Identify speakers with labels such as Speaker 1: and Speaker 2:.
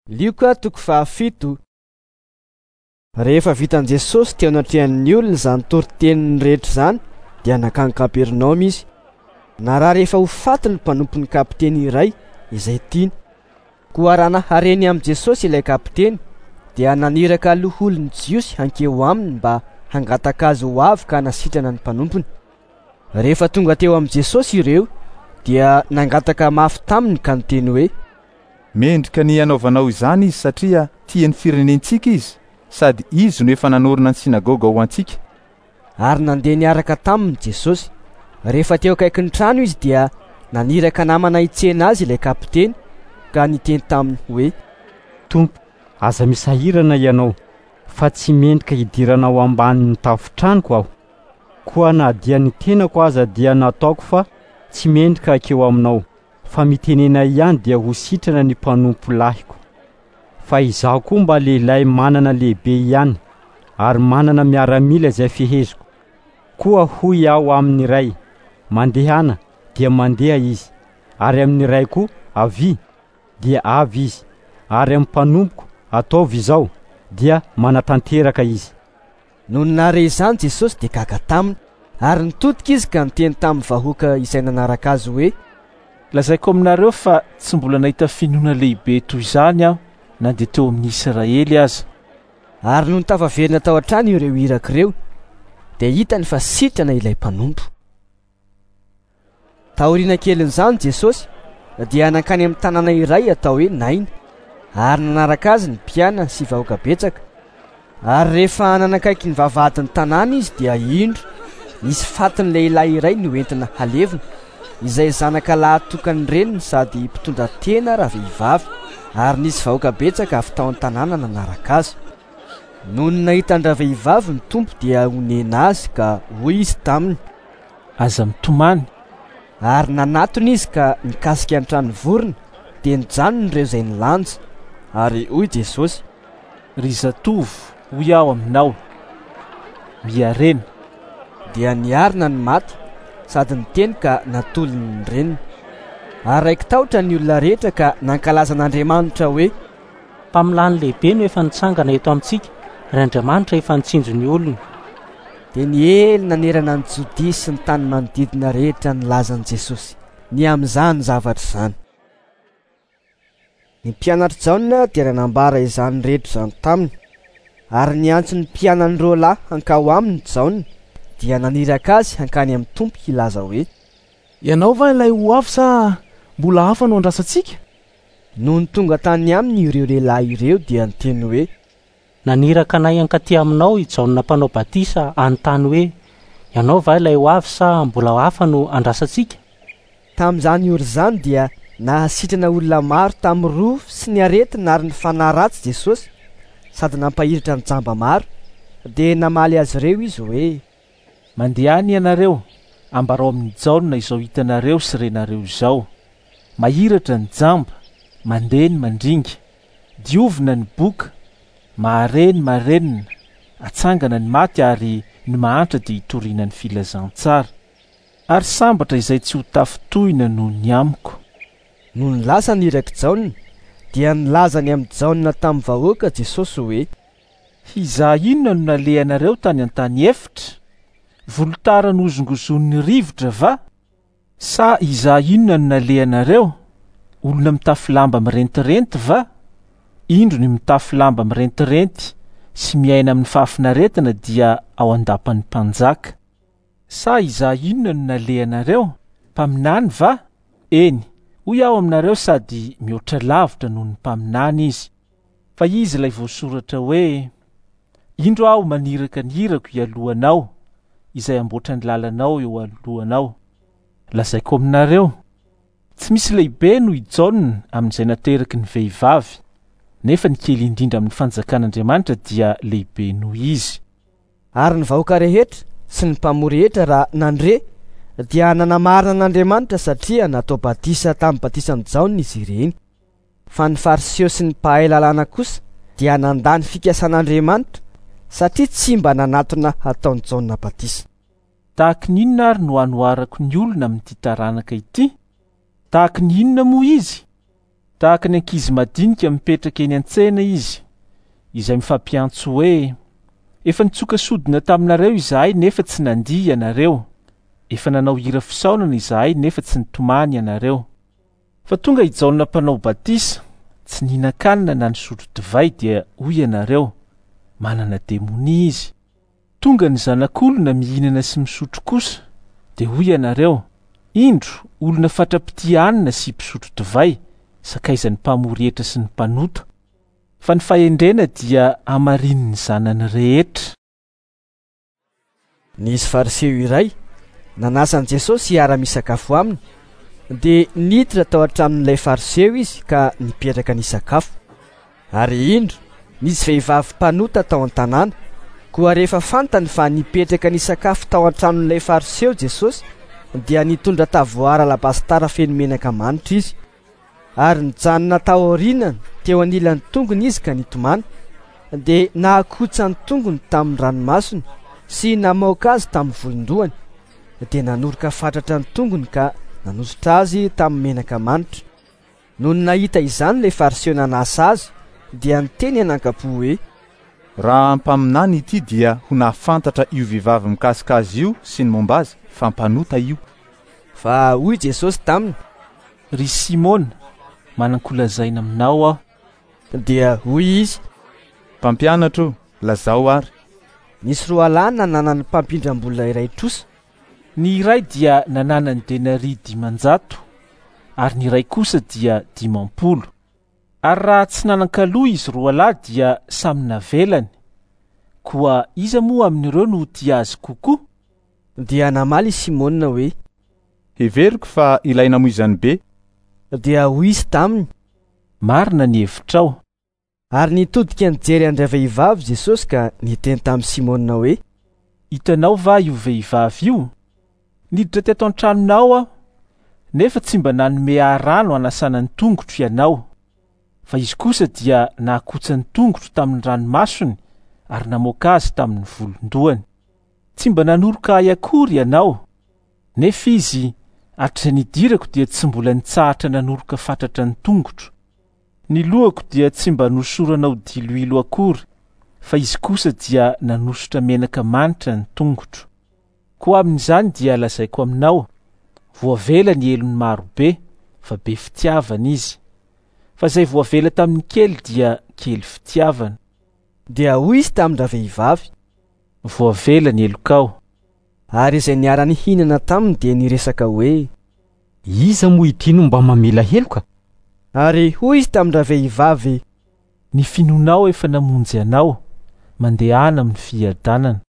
Speaker 1: Lioka toko fahafito. Rehefa vitan'i Jesosy teo anatrehan'ny olona izany toriteniny rehetra izany, dia nankany Kapernaomy izy. Narary efa ho faty ny mpanompon'ny kapiteny iray izay tiany. Koa raha nahare ny amin'i Jesosy ilay kapiteny, dia naniraka loholon'ny Jiosy hankeo aminy mba hangataka azy ho avy ka hanasitrana ny mpanompony. Rehefa tonga teo amin'i Jesosy ireo, dia nangataka mafy taminy ka niteny hoe.
Speaker 2: Mendrika ny hanaovanao izany izy satria tia ny firenentsika izy sady izy no efa nanorina ny synagoga ho antsika.
Speaker 1: Ary nandeha niaraka taminy Jesosy. Rehefa teo akaikin'ny trano izy dia naniraka namana hitsena azy ilay kapiteny ka niteny taminy hoe.
Speaker 3: Tompo, aza misahirana ianao, fa tsy mendrika hidiranao ambanin'ny tafon-tranoko aho. Koa na dia ny tenako aza dia nataoko fa tsy mendrika hankeo aminao, fa mitenena ihany dia ho sitrana ny mpanompo lahiko. Fa izaho koa mba lehilahy manana lehibe ihany, ary manana miaramila izay feheziko. Koa hoy aho amin'ny iray, Mandehana, dia mandeha izy, ary amin'ny iray koa, Avia, dia avy izy, ary amin'ny mpanompoko, Ataovy izao, dia manatanteraka izy.
Speaker 1: Nony nahare izany Jesosy dia gaga taminy, ary nitodika izy ka niteny tamin'ny vahoaka izay nanaraka azy hoe.
Speaker 4: Lazaiko aminareo fa tsy mbola nahita finoana lehibe toy izany aho na dia teo amin'ny Israely aza.
Speaker 1: Ary nony tafaverina tao an-trano ireo iraka ireo, dia hitany fa sitrana ilay mpanompo. Taoriana kelin'izany Jesosy dia nankany amin'ny tanàna iray atao hoe Naina, ary nanaraka azy ny mpianany sy vahoaka betsaka. Ary rehefa nanakaiky ny vavahadin'ny tanàna izy dia indro nisy fatin'ny lehilahy iray noentina halevina, izay zanaka lahy tokan'ny reniny sady mpitondra tena ravehivavy, ary nisy vahoaka betsaka avy tao an-tanàna nanaraka azy. Nony nahita an-dravehivavy ny Tompo dia onena azy ka hoy izy taminy.
Speaker 4: Aza mitomany.
Speaker 1: Ary nanatona izy ka nikasika ny trano vorona, dia nijanona ireo izay nilanja. Ary hoy Jesosy.
Speaker 4: Ry zatovo, hoy aho aminao, miharena.
Speaker 1: Dia niarina ny maty sady niteny ka natolony ny reniny. Ary raiki-tahotra ny olona rehetra ka nankalaza an'Andriamanitra hoe.
Speaker 5: Mpaminany lehibe no efa nitsangana eto amintsika, ary Andriamanitra efa nitsinjo ny olony.
Speaker 1: Dia niely nanerana an'i Jodia sy ny tany manodidina rehetra ny lazan'i Jesosy ny amin'izany zavatra izany. Ny mpianatr'i Jaona dia nanambara izany rehetra izany taminy. Ary niantso ny mpianany roa lahy hankao aminy Jaona, dia naniraka azy hankany amin'ny Tompo hilaza hoe.
Speaker 6: Ianao va ilay ho avy sa mbola hafa no andrasantsika?
Speaker 1: Nony tonga tany aminy ireo lehilahy ireo dia niteny hoe.
Speaker 5: Naniraka anay hankaty aminao i Jaona Mpanao Batisa hanontany hoe, Ianao va ilay ho avy sa mbola hafa no andrasantsika?
Speaker 1: Tamin'izany ora izany dia nahasitrana olona maro tamin'ny rofy sy ny aretina ary ny fanahy ratsy Jesosy, sady nampahiratra ny jamba maro. Dia namaly azy ireo izy hoe.
Speaker 4: Mandehana ianareo, ambarao amin'i Jaona izao hitanareo sy renareo izao, Mahiratra ny jamba, mandeha ny mandringa, diovina ny boka, mahare ny marenina, atsangana ny maty ary ny mahantra dia itoriana ny filazantsara. Ary sambatra izay tsy ho tafintohina noho ny amiko.
Speaker 1: Nony lasa ny irak'i Jaona, dia nilaza ny amin'i Jaona tamin'ny vahoaka Jesosy hoe.
Speaker 4: Hizaha inona no nalehanareo tany an-tany efitra? Volotara nohozongozonin'ny rivotra va? Sa hizaha inona no nalehanareo? Olona mitafy lamba mirentirenty va? Indro ny mitafy lamba mirentirenty sy miaina amin'ny fahafinaretana dia ao an-dapan'ny mpanjaka. Sa hizaha inona no nalehanareo? Mpaminany va? Eny, hoy aho aminareo sady mihoatra lavitra noho ny mpaminany izy. Fa izy ilay voasoratra hoe, Indro aho maniraka ny irako hialoha anao, izay hamboatra ny lalanao eo alohanao. Lazaiko aminareo, tsy misy lehibe noho i Jaona amin'izay nateraky ny vehivavy, nefa ny kely indrindra amin'ny fanjakan'Andriamanitra dia lehibe noho izy.
Speaker 1: Ary ny vahoaka rehetra sy ny mpamory hetra raha nandre dia nanamarina an'Andriamanitra satria natao batisa tamin'ny batisan'i Jaona izy ireny. Fa ny Fariseo sy ny mpahay lalàna kosa dia nandà ny fikasan'Andriamanitra, satria tsy mba nanatona hataon'i Jaona batisa.
Speaker 4: Tahaky ny inona ary no hanoharako ny olona amin'ity taranaka ity? Tahaky ny inona moa izy? Tahaka ny ankizy madinika mipetraka eny an-tsena izy, izay mifampiantso hoe: Efa nitsoka sodina taminareo izahay nefa tsy nandihy ianareo. Efa nanao hira fisaonana izahay nefa tsy nitomany ianareo. Fa tonga i Jaona mpanao batisa, tsy nihinan-kanina na nisotro divay, dia hoy ianareo: Manana demonia izy. Tonga ny Zanak'olona mihinana sy misotro kosa, dia hoy ianareo: Indro, olona fatra-pitia hanina sy mpisotro divay, sakaizan'ny mpamory hetra sy ny mpanota. Fa ny fahendrena dia hamarinin'ny zanany rehetra.
Speaker 1: Nisy Fariseo iray nanasa an'i Jesosy hiara-misakafo aminy, dia niditra tao an-tranon'ilay Fariseo izy ka nipetraka nisakafo. Ary indro, nisy vehivavy mpanota tao an-tanàna. Koa rehefa fantany fa nipetraka nisakafo tao an-tranon'ilay Fariseo Jesosy, dia nitondra tavoara alabastara feno menaka manitra izy. Ary nijanona tao aorianany teo anilan'ny tongony izy ka nitomany, dia nahakotsa ny tongony tamin'ny ranomasony sy namaoka azy tamin'ny volon-dohany, dia nanoroka fatratra ny tongony ka nanosotra azy tamin'ny menaka manitra. Nony nahita izany ilay Fariseo nanasa azy, dia niteny anankampo hoe:
Speaker 2: Raha mpaminany ity dia ho nahafantatra io vehivavy mikasika azy io sy ny momba azy fa mpanota io.
Speaker 1: Fa hoy Jesosy taminy:
Speaker 4: Ry Simona, manan-kolazaina aminao aho.
Speaker 1: Dia hoy izy:
Speaker 2: Mpampianatra o, lazao ary.
Speaker 1: Nisy roalahy nananan'ny mpampindram-bola iray trosa.
Speaker 4: Ny iray dia nananany denaria 500, ary ny iray kosa dia 50. Ary raha tsy nanan-kaloa izy roalahy dia samy navelany. Koa iza moa amin'ireo no tia azy kokoa?
Speaker 1: Dia namaly i Simona hoe:
Speaker 2: Heveriko fa ilay namoizany be.
Speaker 1: Dia hoy izy taminy:
Speaker 4: Marina ny hevitrao.
Speaker 1: Ary nitodika nijery an-dravehivavy Jesosy ka niteny tamin'i Simona hoe:
Speaker 4: Hitanao va io vehivavy io? Niditra teto an-tranonao aho, nefa tsy mba nanome ahy rano hanasana ny tongotro ianao. Fa izy kosa dia nahakotsa ny tongotro tamin'ny ranomasony ary namoaka azy tamin'ny volon-dohany. Tsy mba nanoroka ahy akory ianao, nefa izy hatrizay nidirako dia tsy mbola nitsahatra nanoroka fatratra ny tongotro. Ny lohako dia tsy mba nosoranao diloilo akory, fa izy kosa dia nanosotra menaka manitra ny tongotro. Koa amin'izany dia lazaiko aminao, voavela ny helony marobe, fa be fitiavana izy. Fa izay voavela tamin'ny kely dia kely fitiavana.
Speaker 1: Dia hoy izy tamin-dravehivavy:
Speaker 4: Voavela ny helokao.
Speaker 1: Ary izay niara-nihinana taminy dia niresaka hoe:
Speaker 3: Iza moa ity no mba mamela heloka?
Speaker 1: Ary hoy izy tamin-dravehivavy:
Speaker 4: Ny finoanao efa namonjy anao, mandehana amin'ny fiadanana.